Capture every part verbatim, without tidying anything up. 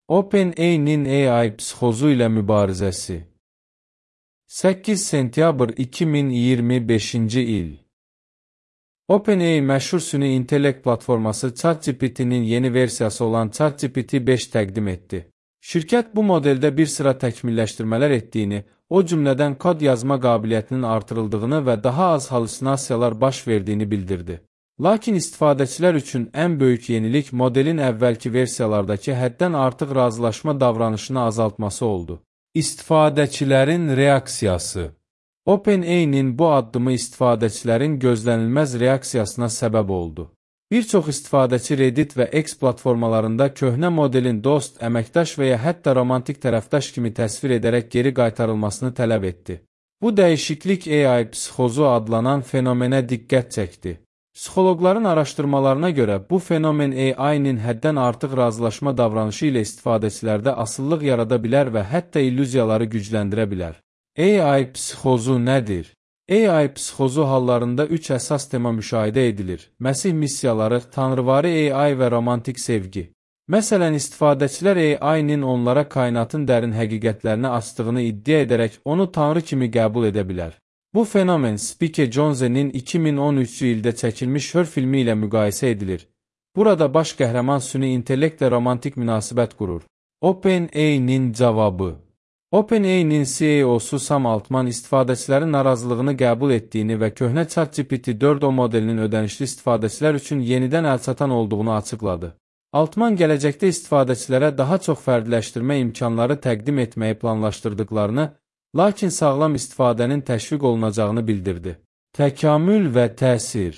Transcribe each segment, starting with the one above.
OpenAI'nin A I psixozu ilə mübarizəsi. səkkiz sentyabr iki min iyirmi beşinci il. OpenAI məşhur süni intellekt platforması ChatGPT-nin yeni versiyası olan ChatGPT beş təqdim etdi. Şirkət bu modeldə bir sıra təkmilləşdirmələr etdiyini, o cümlədən kod yazma qabiliyyətinin artırıldığını və daha az halüsinasiyalar baş verdiyini bildirdi. Lakin istifadəçilər üçün ən böyük yenilik modelin əvvəlki versiyalardakı həddən artıq razılaşma davranışını azaltması oldu. İstifadəçilərin reaksiyası. OpenAI-nin bu addımı istifadəçilərin gözlənilməz reaksiyasına səbəb oldu. Bir çox istifadəçi Reddit və X platformalarında köhnə modelin dost, əməkdaş və ya hətta romantik tərəfdaş kimi təsvir edərək geri qaytarılmasını tələb etdi. Bu dəyişiklik A I psixozu adlanan fenomenə diqqət çəkdi. Psixoloqların araşdırmalarına görə bu fenomen A I-nin həddən artıq razılaşma davranışı ilə istifadəçilərdə asıllıq yarada bilər və hətta illüziyaları gücləndirə bilər. A I psixozu nədir? A I psixozu hallarında üç əsas tema müşahidə edilir. Məsih missiyaları, tanrıvari A I və romantik sevgi. Məsələn, istifadəçilər A I-nin onlara kainatın dərin həqiqətlərini açdığını iddia edərək onu tanrı kimi qəbul edə bilər. Bu fenomen Spike Jonze'nin iki min on üçüncü ildə çəkilmiş Her filmi ilə müqayisə edilir. Burada baş qəhrəman süni intellektlə romantik münasibət qurur. OpenAI-nin cavabı. OpenAI-nin C E O-su Sam Altman istifadəçilərin narazılığını qəbul etdiyini və köhnə ChatGPT dörd O modelinin ödənişli istifadəçilər üçün yenidən əlçatan olduğunu açıqladı. Altman gələcəkdə istifadəçilərə daha çox fərdiləşdirmə imkanları təqdim etməyi planlaşdırdıqlarını, lakin sağlam istifadənin təşviq olunacağını bildirdi. Təkamül və təsir.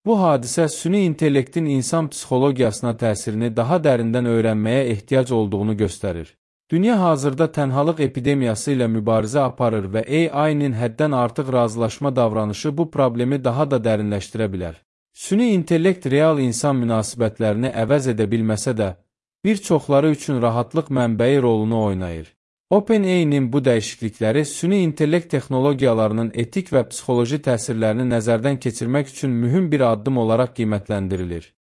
Bu hadisə süni intellektin insan psixologiyasına təsirini daha dərindən öyrənməyə ehtiyac olduğunu göstərir. Dünya hazırda tənhalıq epidemiyası ilə mübarizə aparır və A I-nin həddən artıq razılaşma davranışı bu problemi daha da dərinləşdirə bilər. Süni intellekt real insan münasibətlərini əvəz edə bilməsə də, bir çoxları üçün rahatlıq mənbəyi rolunu oynayır. OpenAI-nin bu dəyişiklikləri süni intellekt texnologiyalarının etik və psixoloji təsirlərini nəzərdən keçirmək üçün mühüm bir addım olaraq qiymətləndirilir.